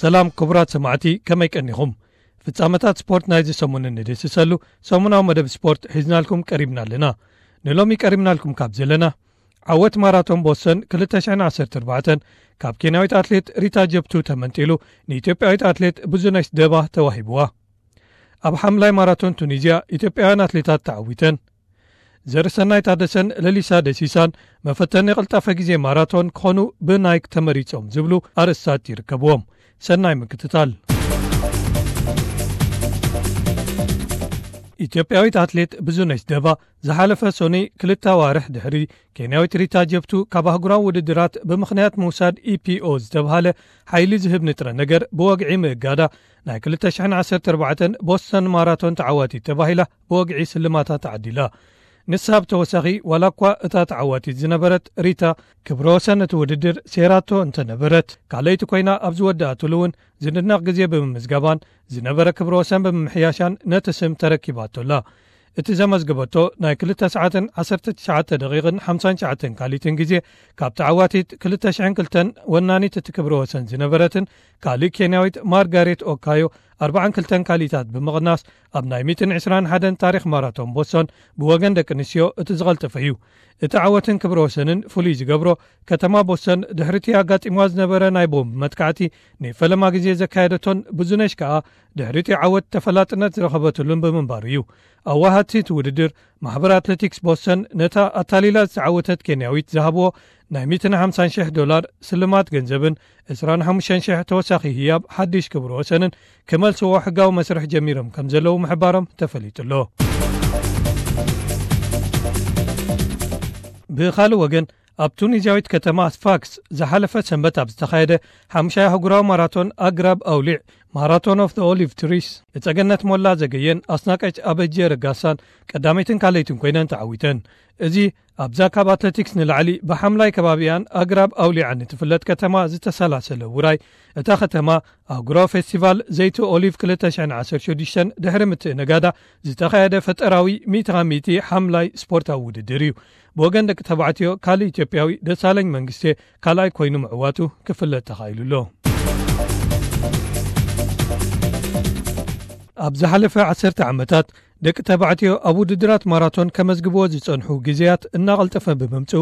ሰላም ክቡራት ሰማዕቲ፣ ከመይ ቀኒኹም? ፍጻመታት ስፖርት ናይዚ ሰሙን እንድህስሰሉ ሰሙናዊ መደብ ስፖርት ሒዝናልኩም ቀሪብና ኣለና። ንሎሚ ቀሪብናልኩም ካብ ዘለና፣ ዓወት ማራቶን ቦስተን ክልተ ሽሕን ዓሰርተ ኣርባዕተን ካብ ኬንያዊት ኣትሌት ሪታ ጀብቱ ተመንጢሉ ንኢትዮጵያዊት ኣትሌት ብዙነሽ ደባ ተዋሂብዋ። ኣብ ሓምላይ ማራቶን ቱኒዝያ ኢትዮጵያውያን ኣትሌታት ተዓዊተን። ዘርሰናይ ታደሰን ለሊሳ ደሲሳን መፈተኒ ቅልጣፈ ግዜ ማራቶን ክኾኑ ብናይክ ተመሪጾም ዝብሉ ኣርእስታት ይርከብዎም። ሰናይ ምክትታል። ኢትዮጵያዊት ኣትሌት ብዙነሽ ደባ ዝሓለፈ ሶኒ ክልተ ኣዋርሕ ድሕሪ ኬንያዊት ሪታ ጀብቱ ካብ ኣህጉራዊ ውድድራት ብምኽንያት ምውሳድ ኢፒኦ ዝተብሃለ ሓይሊ ዝህብ ንጥረ ነገር ብወግዒ ምእጋዳ ናይ ክልተ ሽሕን ዓሰርተ ኣርባዕተን ቦስተን ማራቶን ተዓዋቲት ተባሂላ ብወግዒ ስልማታ ተዓዲላ። ንሳ ብተወሳኺ ዋላ እኳ እታ ተዓዋቲት ዝነበረት ሪታ ክብረ ወሰን እቲ ውድድር ሴራቶ እንተነበረት፣ ካልኣይቲ ኮይና ኣብ ዝወደኣትሉ እውን ዝድነቕ ግዜ ብምምዝጋባን ዝነበረ ክብረ ወሰን ብምምሕያሻን ነቲ ስም ተረኪባቶላ። እቲ ዘመዝገበቶ ናይ ክልተ ሰዓትን ዓሰርተ ትሽዓተ ደቂቕን ሓምሳን ትሽዓተን ካሊትን ግዜ ካብ ተዓዋቲት ክልተ ሽሕን ክልተን ወናኒት እቲ ክብረ ወሰን ዝነበረትን ካልእ ኬንያዊት ማርጋሬት ኦካዮ ኣርባዓን ክልተን ካሊታት ብምቕናስ ኣብ ናይ ሚእትን ዕስራን ሓደን ታሪኽ ማራቶን ቦስቶን ብወገን ደቂ ኣንስትዮ እቲ ዝቐልጠፈ እዩ። እቲ ዓወትን ክብረ ወሰንን ፍሉይ ዝገብሮ፣ ከተማ ቦስተን ድሕሪቲ ኣጋጢምዋ ዝነበረ ናይ ቦምብ መጥቃዕቲ ንፈለማ ግዜ ዘካየደቶን ብዙነሽ ከኣ ድሕሪቲ ዓወት ተፈላጥነት ዝረኸበትሉን ብምንባሩ እዩ። ኣዋሃድቲ እቲ ውድድር ማሕበር ኣትሌቲክስ ቦስተን ነታ ኣታሊላ ዝተዓወተት ኬንያዊት ዝሃብዎ ናይ ሚእትን ሓምሳን ሽሕ ዶላር ስልማት ገንዘብን ዕስራን ሓሙሽተን ሽሕ ተወሳኺ ህያብ ሓድሽ ክብረ ወሰንን ክመልስዎ ሕጋዊ መስርሕ ጀሚሮም ከም ዘለዉ ምሕባሮም ተፈሊጡ ኣሎ። ብኻልእ ወገን፣ ኣብ ቱኒዝያዊት ከተማ ስፋክስ ዝሓለፈ ሰንበት ኣብ ዝተኻየደ ሓሙሻይ ኣህጉራዊ ማራቶን ኣግራብ ኣውሊዕ፣ ማራቶን ኦፍ ኦሊቭ ትሪስ፣ እጸገነት ሞላ ዘገየን ኣስናቀች ኣበጀ ረጋሳን ቀዳመይትን ካልኣይትን ኮይነን ተዓዊተን። እዚ ኣብዛ ካብ ኣትሌቲክስ ንላዕሊ ብሓምላይ ከባቢኣን ኣግራብ ኣውሊዓን እትፍለጥ ከተማ ዝተሰላሰለ ውራይ፣ እታ ከተማ ኣህጉራዊ ፌስቲቫል ዘይቲ ኦሊቭ ክልተ ሽሕን ዓሰርተ ሽዱሽተን ድሕሪ ምትእንጋዳ ዝተኻየደ ፈጠራዊ ሚእቲ ካብ ሚእቲ ሓምላይ ስፖርታዊ ውድድር እዩ። ብወገን ደቂ ተባዕትዮ ካልእ ኢትዮጵያዊ ደሳለኝ መንግስቴ ካልኣይ ኮይኑ ምዕዋቱ ክፍለጥ ተኻኢሉ ኣሎ። ኣብ ዝሓለፈ ዓሰርተ ዓመታት ደቂ ተባዕትዮ ኣብ ውድድራት ማራቶን ከመዝግብዎ ዝጸንሑ ግዜያት እናቐልጠፈ ብምምጽኡ፣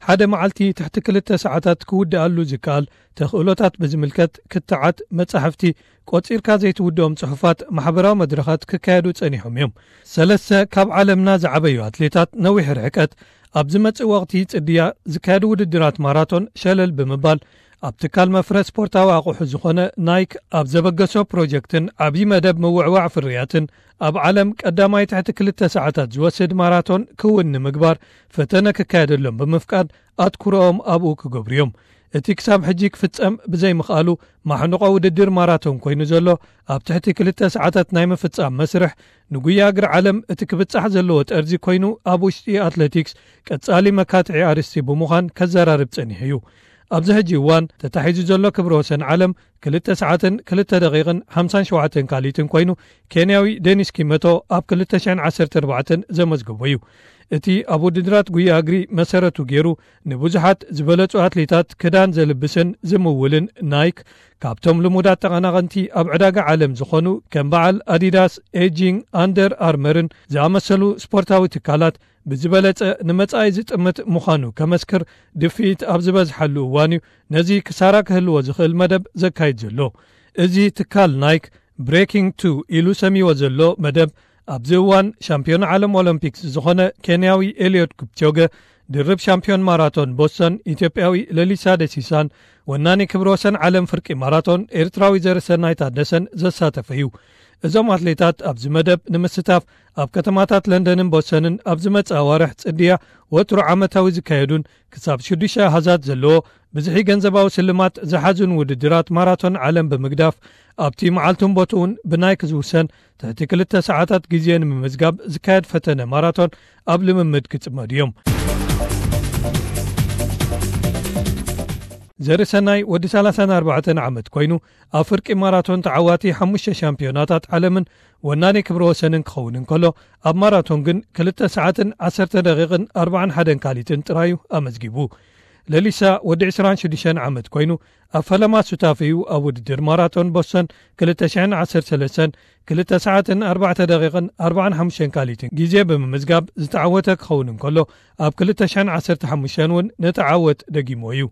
ሓደ መዓልቲ ትሕቲ ክልተ ሰዓታት ክውድኣሉ ዝከኣል ተኽእሎታት ብዝምልከት ክትዓት፣ መጻሕፍቲ፣ ቆጺርካ ዘይትውድኦም ጽሑፋት፣ ማሕበራዊ መድረኻት ክካየዱ ጸኒሖም እዮም። ሰለስተ ካብ ዓለምና ዝዓበዩ ኣትሌታት ነዊሕ ርሕቀት ኣብ ዝመጽእ ወቕቲ ጽድያ ዝካየዱ ውድድራት ማራቶን ሸለል ብምባል፣ ኣብ ትካል መፍረ ስፖርታዊ ኣቑሑ ዝኾነ ናይክ ኣብ ዘበገሶ ፕሮጀክትን ዓብዪ መደብ ምውዕዋዕ ፍርያትን፣ ኣብ ዓለም ቀዳማይ ትሕቲ ክልተ ሰዓታት ዝወስድ ማራቶን ክውን ንምግባር ፈተነ ክካየደሎም ብምፍቃድ ኣትኩሮኦም ኣብኡ ክገብሩ እዮም። እቲ ክሳብ ሕጂ ክፍጸም ብዘይምኽኣሉ ማሕንቆ ውድድር ማራቶን ኮይኑ ዘሎ፣ ኣብ ትሕቲ ክልተ ሰዓታት ናይ ምፍጻም መስርሕ፣ ንጉያ እግሪ ዓለም እቲ ክብጻሕ ዘለዎ ጠርዚ ኮይኑ፣ ኣብ ውሽጢ ኣትሌቲክስ ቀጻሊ መካትዒ ኣርእስቲ ብምዃን ከዘራርብ ጸኒሑ እዩ። ኣብዚ ሕጂ እዋን ተታሒዙ ዘሎ ክብረ ወሰን ዓለም ክልተ ሰዓትን ክልተ ደቂቕን ሓምሳን ሸውዓተን ካልኢትን ኮይኑ፣ ኬንያዊ ዴኒስ ኪመቶ ኣብ ክልተ ሽሕን ዓሰርተ ኣርባዕተን ዘመዝገቦ እዩ። እቲ ኣብ ውድድራት ጉያ እግሪ መሰረቱ ገይሩ ንብዙሓት ዝበለጹ ኣትሌታት ክዳን ዘልብስን ዝምውልን ናይክ፣ ካብቶም ልሙዳት ተቐናቐንቲ ኣብ ዕዳጋ ዓለም ዝኾኑ ከም በዓል ኣዲዳስ፣ ኤጂንግ፣ ኣንደር ኣርመርን ዝኣመሰሉ ስፖርታዊ ትካላት ብዝበለጸ ንመጻኢ ዝጥምት ምዃኑ ከመስክር ድፍኢት ኣብ ዝበዝሓሉ እዋን እዩ ነዚ ክሳራ ክህልዎ ዝኽእል መደብ ዘካይድ ዘሎ። እዚ ትካል ናይክ ብሬኪንግ ቱ ኢሉ ሰሚዎ ዘሎ መደብ፣ ኣብዚ እዋን ሻምፒዮን ዓለም ኦሎምፒክስ ዝኾነ ኬንያዊ ኤልዮድ ክፕቾገ፣ ድርብ ሻምፒዮን ማራቶን ቦስተን ኢትዮጵያዊ ለሊሳ ደሲሳን ወናኒ ክብረ ወሰን ዓለም ፍርቂ ማራቶን ኤርትራዊ ዘርሰናይ ታደሰን ዘሳተፈ እዩ። እዞም ኣትሌታት ኣብዚ መደብ ንምስታፍ ኣብ ከተማታት ለንደንን ቦስተንን ኣብ ዝመጽእ ኣዋርሕ ጽድያ ወትሩ ዓመታዊ ዝካየዱን ክሳብ ሽዱሽተ ኣሃዛት ዘለዎ ብዝሒ ገንዘባዊ ስልማት ዝሓዙን ውድድራት ማራቶን ዓለም ብምግዳፍ፣ ኣብቲ መዓልቱን ቦትኡን ብናይክ ዝውሰን ትሕቲ ክልተ ሰዓታት ግዜ ንምምዝጋብ ዝካየድ ፈተነ ማራቶን ኣብ ልምምድ ክጽመዱ እዮም። ዘርሰናይ ወዲ ሰላሳን ኣርባዕተን ዓመት ኮይኑ፣ ኣብ ፍርቂ ማራቶን ተዓዋቲ ሓሙሽተ ሻምፒዮናታት ዓለምን ወናኒ ክብረ ወሰንን ክኸውን እንከሎ፣ ኣብ ማራቶን ግን ክልተ ሰዓትን ዓሰርተ ደቂቕን ኣርባዓን ሓደን ካሊትን ጥራዩ ኣመዝጊቡ። ለሊሳ ወዲ ዕስራን ሽዱሽተን ዓመት ኮይኑ፣ ኣብ ፈለማ ሱታፊኡ ኣብ ውድድር ማራቶን ቦስተን ክልተ ሽሕን ዓሰርተ ሰለስተን ክልተ ሰዓትን ኣርባዕተ ደቂቕን ኣርባዓን ሓሙሽተን ካሊትን ግዜ ብምምዝጋብ ዝተዓወተ ክኸውን እንከሎ፣ ኣብ ክልተ ሽሕን ዓሰርተ ሓሙሽተን እውን ነቲ ዓወት ደጊሞ እዩ።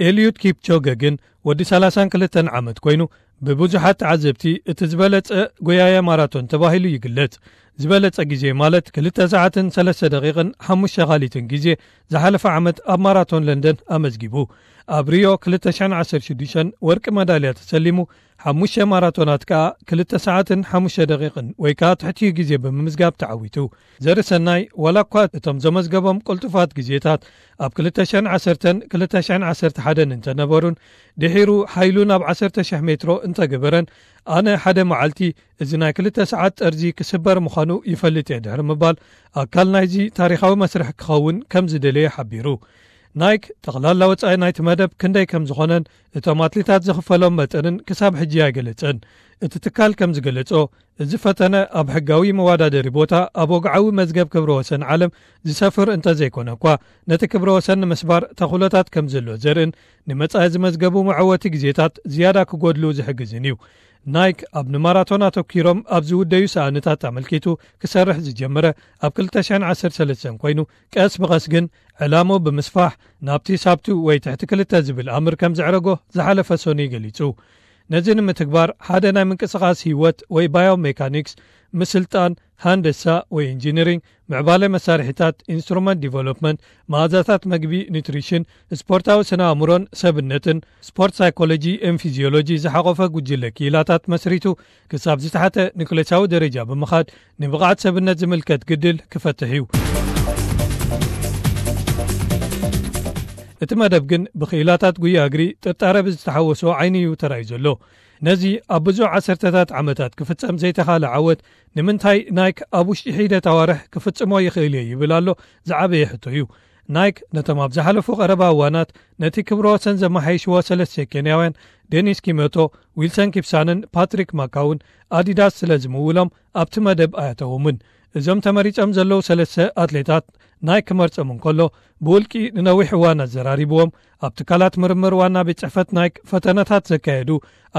ኤልዩድ ኪፕቾገ ግን ወዲ ሰላሳን ክልተን ዓመት ኮይኑ፣ ብብዙሓት ተዓዘብቲ እቲ ዝበለጸ ጎያየ ማራቶን ተባሂሉ ይግለጽ። ዝበለጸ ግዜ ማለት ክልተ ሰዓትን ሰለስተ ደቂቕን ሓሙሽተ ካሊትን ግዜ ዝሓለፈ ዓመት ኣብ ማራቶን ለንደን ኣመዝጊቡ። ኣብ ሪዮ ክልተ ሽሕን ዓሰርተ ሽዱሽተን ወርቂ መዳልያ ተሰሊሙ፣ ሓሙሽተ ማራቶናት ከኣ ክልተ ሰዓትን ሓሙሽተ ደቂቕን ወይ ከኣ ትሕቲኡ ግዜ ብምምዝጋብ ተዓዊቱ። ዘርሰናይ ዋላ እኳ እቶም ዘመዝገቦም ቅልጡፋት ግዜታት ኣብ ክልተ ሽሕን ዓሰርተን ክልተ ሽሕን ዓሰርተ ሓደን እንተነበሩን፣ ድሒሩ ሓይሉ ናብ ዓሰርተ ሽሕ ሜትሮ እንተገበረን፣ ኣነ ሓደ መዓልቲ እዚ ናይ ክልተ ሰዓት ጠርዚ ክስበር ምዃኑ ይፈልጥ እየ ድሕሪ ምባል፣ ኣካል ናይዚ ታሪኻዊ መስርሕ ክኸውን ከም ዝደለየ ሓቢሩ። ናይክ ጠቕላላ ወጻኢ ናይቲ መደብ ክንደይ ከም ዝኾነን እቶም ኣትሌታት ዝኽፈሎም መጠንን ክሳብ ሕጂ ኣይገለጸን። እቲ ትካል ከም ዝገለጾ፣ እዚ ፈተነ ኣብ ሕጋዊ መወዳደሪ ቦታ ኣብ ወግዓዊ መዝገብ ክብረ ወሰን ዓለም ዝሰፍር እንተዘይኮነ እኳ፣ ነቲ ክብረ ወሰን ንምስባር ተኽእሎታት ከም ዘሎ ዘርእን ንመጻኢ ዝመዝገቡ መዐወቲ ግዜታት ዝያዳ ክጎድሉ ዝሕግዝን እዩ። ናይክ ኣብ ንማራቶን ኣተኲሮም ኣብ ዝውደዩ ሰኣንታት ኣመልኪቱ ክሰርሕ ዝጀመረ ኣብ ክልተ ሽሕን ዓሰርተ ሰለስተን ኮይኑ፣ ቀስ ብቐስ ግን ዕላምኡ ብምስፋሕ ናብቲ ሳብቱ ወይ ትሕቲ ክልተ ዝብል ኣምር ከም ዘዕረጎ ዝሓለፈ ሰኑይ ገሊጹ። ነዚ ንምትግባር ሓደ ናይ ምንቅስቓስ ህይወት ወይ ባዮሜካኒክስ፣ ምስልጣን፣ ሃንደሳ ወይ ኢንጂነሪንግ፣ ምዕባለ መሳርሒታት፣ ኢንስትሩመንት ዲቨሎፕመንት፣ መኣዛታት መግቢ፣ ኒትሪሽን፣ ስፖርታዊ ስነ ኣእምሮን ሰብነትን፣ ስፖርት ሳይኮሎጂ ን ፊዚዮሎጂ ዝሓቖፈ ጉጅለ ክኢላታት መስሪቱ ክሳብ ዝተሓተ ኒክሌሳዊ ደረጃ ብምኻድ ንብቕዓት ሰብነት ዝምልከት ግድል ክፈትሕ እዩ። እቲ መደብ ግን ብክኢላታት ጉያ እግሪ ጥርጣረ ብዝተሓወሶ ዓይኒ እዩ ተራእዩ ዘሎ። ነዚ ኣብ ብዙሕ ዓሰርተታት ዓመታት ክፍጸም ዘይተኻለ ዓወት ንምንታይ ናይክ ኣብ ውሽጢ ሒደት ኣዋርሕ ክፍጽሞ ይኽእል እየ ይብል ኣሎ ዝዓበየ ሕቶ እዩ። ናይክ ነቶም ኣብ ዝሓለፉ ቀረባ እዋናት ነቲ ክብረ ወሰን ዘመሓየሽዎ ሰለስተ ኬንያውያን ዴኒስ ኪመቶ፣ ዊልሰን ኪፕሳንን ፓትሪክ ማካውን ኣዲዳስ ስለ ዝምውሎም ኣብቲ መደብ ኣያተዎምን። እዞም ተመሪጾም ዘለዉ ሰለስተ ኣትሌታት ናይክ ክመርጾም እንከሎ ብውልቂ ንነዊሕ እዋን ኣዘራሪብዎም፣ ኣብ ትካላት ምርምር ዋና ቤት ጽሕፈት ናይክ ፈተነታት ዘካየዱ፣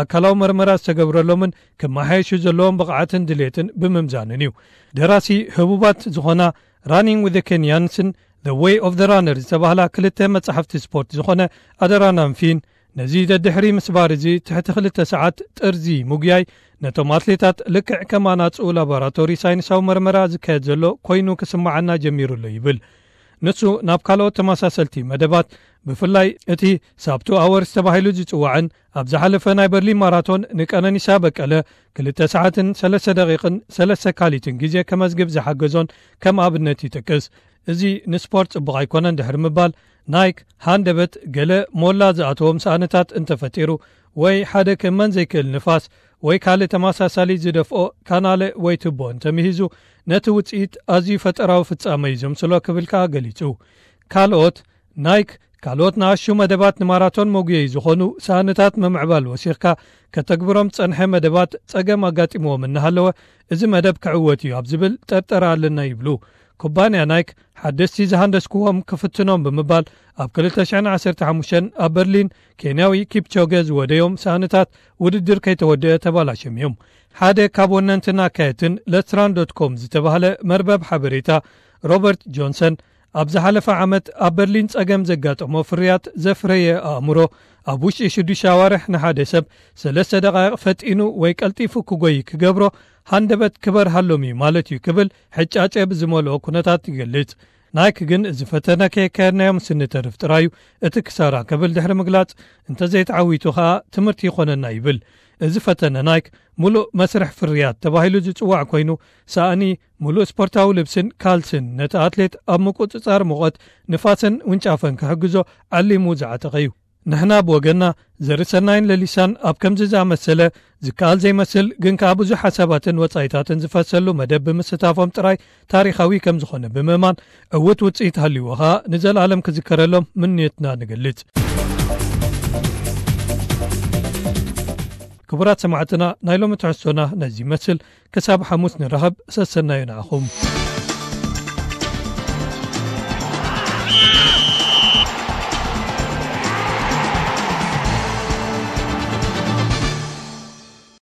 ኣካላዊ መርመራ ዝተገብረሎምን ክመሓየሹ ዘለዎም ብቕዓትን ድሌትን ብምምዛንን እዩ። ደራሲ ህቡባት ዝኾና ራኒንግ ዊዝ ኬንያንስን The Way of the Runner ዝተባህላ ክልተ መጻሕፍቲ ስፖርት ዝኾነ ኣደራናን ፊን፣ ነዚ ደድሕሪ ምስባር እዚ ትሕቲ ክልተ ሰዓት ጥርዚ ምጉያይ ነቶም ኣትሌታት ልክዕ ከም ኣናጹ ላቦራቶሪ ሳይንሳዊ መርመራ ዝካየድ ዘሎ ኮይኑ ክስምዓና ጀሚሩ ኣሎ ይብል። ንሱ ናብ ካልኦት ተመሳሰልቲ መደባት፣ ብፍላይ እቲ ሳብቱ ኣወርስ ተባሂሉ ዝጽዋዕን ኣብ ዝሓለፈ ናይ በርሊን ማራቶን ንቀነኒሳ በቀለ ክልተ ሰዓትን ሰለስተ ደቂቕን ሰለስተ ካሊትን ግዜ ከመዝግብ ዝሓገዞን ከም ኣብነት ይጠቅስ። እዚ ንስፖርት ጽቡቕ ኣይኮነን ድሕሪ ምባል፣ ናይክ ሃንደበት ገለ ሞላ ዝኣተዎም ሳእንታት እንተፈጢሩ ወይ ሓደ ክእመን ዘይክእል ንፋስ ወይ ካልእ ተመሳሳሊ ዝደፍኦ ካናለ ወይ ቱቦ እንተምሂዙ፣ ነቲ ውጽኢት ኣዝዩ ፈጠራዊ ፍጻመ እዩ ዘምስሎ ክብል ከኣ ገሊጹ። ካልኦት ናይክ ካልኦት ንኣሽቱ መደባት ንማራቶን መጉየዪ ዝኾኑ ሳእንታት ምምዕባል ወሲኽካ ከተግብሮም ዝጸንሐ መደባት ጸገም ኣጋጢምዎም እናሃለወ፣ እዚ መደብ ክዕወት እዩ ኣብ ዝብል ጠርጠራ ኣለና ይብሉ። ኩባንያ ናይክ ሓደስቲ ዝሃንደስክዎም ክፍትኖም ብምባል ኣብ ክልተ ሽሕን ዓሰርተ ሓሙሽተን ኣብ በርሊን ኬንያዊ ኪፕቾገ ዝወደዮም ሳእንታት ውድድር ከይተወደአ ተባላሽዮም እዮም። ሓደ ካብ ወነንትን ኣካየድትን ለትራን ዶት ኮም ዝተባህለ መርበብ ሓበሬታ ሮበርት ጆንሰን ኣብ ዝሓለፈ ዓመት ኣብ በርሊን ጸገም ዘጋጠሞ ፍርያት ዘፍረየ ኣእምሮ ኣብ ውሽጢ ሽዱሽተ ኣዋርሕ ንሓደ ሰብ ሰለስተ ደቓይቕ ፈጢኑ ወይ ቀልጢፉ ክጎይ ክገብሮ ሃንደበት ክበርሃሎም እዩ ማለት እዩ ክብል ሕጫጨ ብዝመልኦ ኩነታት ይገልጽ። ናይክ ግን እዚ ፈተነ ከየካየድናዮ ምስ እንተርፍ ጥራዩ እቲ ክሳራ ክብል ድሕሪ ምግላጽ፣ እንተዘይተዓዊቱ ከኣ ትምህርቲ ይኾነና ይብል። እዚ ፈተነ ናይክ ምሉእ መስርሕ ፍርያት ተባሂሉ ዝጽዋዕ ኮይኑ፣ ሳእኒ፣ ምሉእ ስፖርታዊ ልብስን ካልስን ነቲ ኣትሌት ኣብ ምቁጽጻር ሙቐት፣ ንፋስን ውንጫፈን ክሕግዞ ዓሊሙ ዝዓጠቐ እዩ። ንሕና ብወገንና ዘርሰናይን ለሊሳን ኣብ ከምዚ ዝኣመሰለ ዝከኣል ዘይመስል ግን ከኣ ብዙሕ ሓሳባትን ወጻኢታትን ዝፈሰሉ መደብ ብምስታፎም ጥራይ ታሪኻዊ ከም ዝኾነ ብምእማን ዕዉት ውጽኢት ሃልይዎ ከኣ ንዘለኣለም ክዝከረሎም ምንዮትና ንገልጽ። ክቡራት ሰማዕትና ናይ ሎሚ ትሕዝቶና ነዚ ይመስል። ክሳብ ሓሙስ ንራኸብ ሰሰናዩ ንዓኹም።